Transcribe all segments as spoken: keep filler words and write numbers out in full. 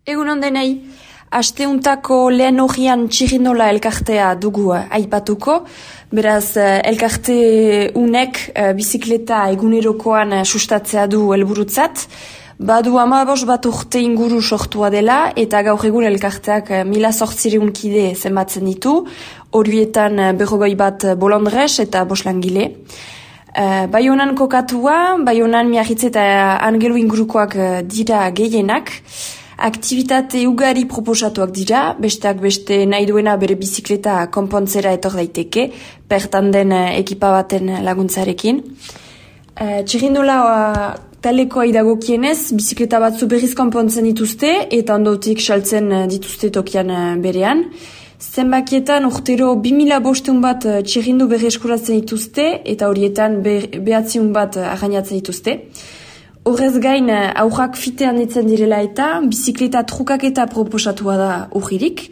Egun ondenei, asteuntako lehen horian txirrindola elkartea dugu aipatuko, beraz elkarte unek bizikleta egunerokoan sustatzea du helburutzat, badu hamabos bat urte inguru sortua dela eta gaur egun elkarteak mila zortzireun kide zenbatzen ditu, horietan berrogei bat bolondrez eta boslangile. Uh, Baionan kokatua, Baionan Miarritze eta Angelu ingurukoak dira gehienak, aktivitate ugari proposatuak dira, besteak beste nahi duena bere bizikleta konpontzera etor daiteke, bertan den ekipa baten laguntzarekin. Uh, Txirrindola uh, talekoa idagokienez, bizikleta batzu berriz konpontzen dituzte eta ondotik saltzen dituzte tokian berean. Zenbakietan urtero bi mila bosteun bat txirrindu berri eskuratzen dituzte eta horietan behatziun bat arrainatzen dituzte. Horrez gain aurrak fitean ditzen direla eta bizikleta trukaketa proposatua da urririk.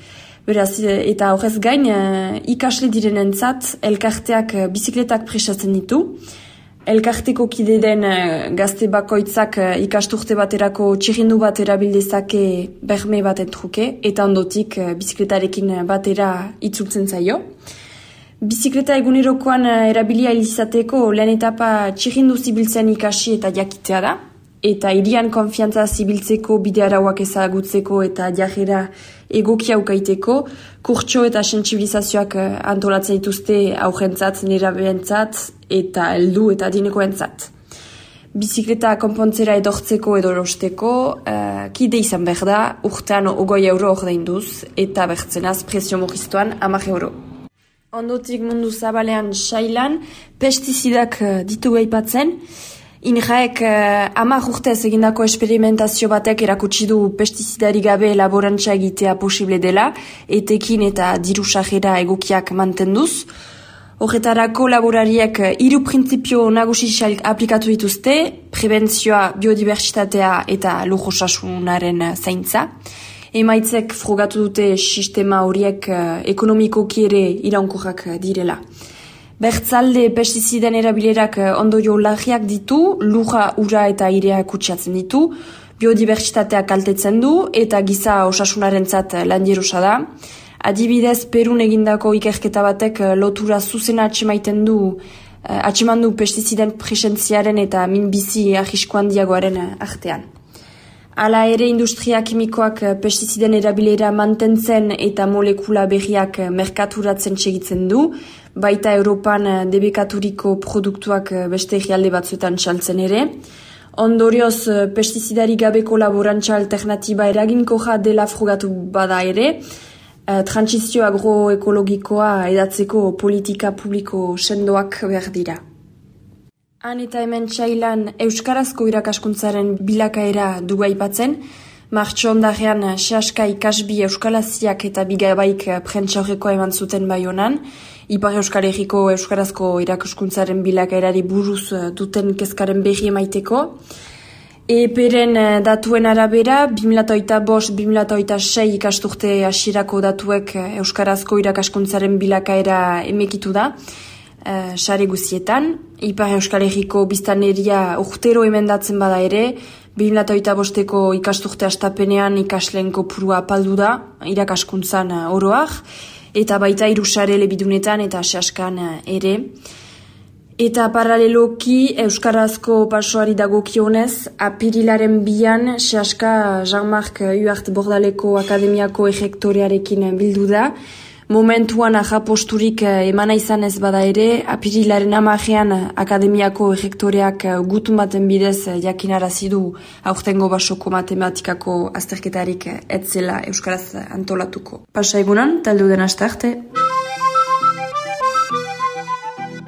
Beraz, eta horrez gain ikasle direnentzat elkarteak bizikletak prestatzen ditu. Elkarteko kide den gazte bakoitzak ikasturte baterako txirrindu bat erabildezake berme baten truke eta ondotik bizikletarekin batera itzultzen zaio. Bizikleta egunerokoan erabilia izateko lehen etapa txirrindu zibiltzen ikasi eta jakitea da, eta hirian konfiantza zibiltzeko bide arauak ezagutzeko eta jarrera egokia ukaiteko, kurtso eta sentsibilizazioak antolatzen dituzte aurrentzat, nerabeentzat eta heldu eta adinekoentzat. Bizikleta konpontzera edortzeko edo erosteko, uh, kide izan behar da, urtean ogoi euro ordainduz eta bertzenaz presio murriztuan hamar euro. Ondotik mundu zabalean sailan, pestizidak ditu aipatzen. Inraek uh, hamar urtez egindako esperimentazio batek erakutsi du pestizidari gabe laborantza egitea posible dela, etekin eta diru sarrera egokiak mantenduz. Horretarako laborariek hiru printzipio nagusi aplikatu dituzte, prebentzioa, biodibertsitatea eta lur osasunaren zaintza. Emaitzek frogatu dute sistema horiek uh, ekonomikoki ere iraunkorrak direla. Bertzalde pestiziden erabilerak ondorio larriak ditu, lurra, ura eta airea kutsatzen ditu, biodibertsitatea kaltetzen du eta giza osasunarentzat landierosa da. Adibidez, Perun egindako ikerketa batek lotura zuzena atxemaiten du, atxeman du pestiziden presentziaren eta minbizi arrisko handiagoaren artean. Hala ere industria kimikoak pestiziden erabilera mantentzen eta molekula berriak merkaturatzen segitzen du, baita Europan debekaturiko produktuak beste herrialde batzuetan saltzen ere. Ondorioz, pestizidari gabeko laborantza alternatiba eraginkorra dela frogatu bada ere, trantsizio agroekologikoa edatzeko politika publiko sendoak behar dira. Han eta hemen txailan euskarazko irakaskuntzaren bilakaera dugu aipatzen, martxo ondarean sehaska ikasbi euskalaziak eta bigabaik prentsaurrekoa eman zuten Baionan, Ipar Euskal Herriko euskarazko irakaskuntzaren bilakaerari buruz duten kezkaren berri emaiteko. Eperen datuen arabera, bi mila hogeita bost bi mila hogeita sei ikasturte hasierako datuek euskarazko irakaskuntzaren bilakaera emekitu da, sare guzietan. Ipar Euskal Herriko biztanleria urtero emendatzen bada ere, bi mila hogeita bosteko ikasturte hastapenean ikasleen kopurua apaldu da, irakaskuntzan oroak, eta baita hiru sare elebidunetan eta sehaskan ere. Eta paraleloki euskarazko pasoari dagokionez, apirilaren bian sehaska Jean-Marc Huart Bordaleko Akademiako errektorearekin bildu da. Momentuan ahaposturik emana izan ez bada ere, apirilaren hamarean Akademiako errektoreak gutun baten bidez jakinarazi du aurtengo basoko matematikako azterketarik etzela euskaraz antolatuko. Pasa egunan, taldu den aste arte.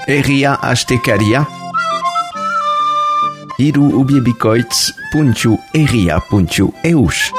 Herria astekaria. Hiru ubiebikoitz puntu herria puntu eus.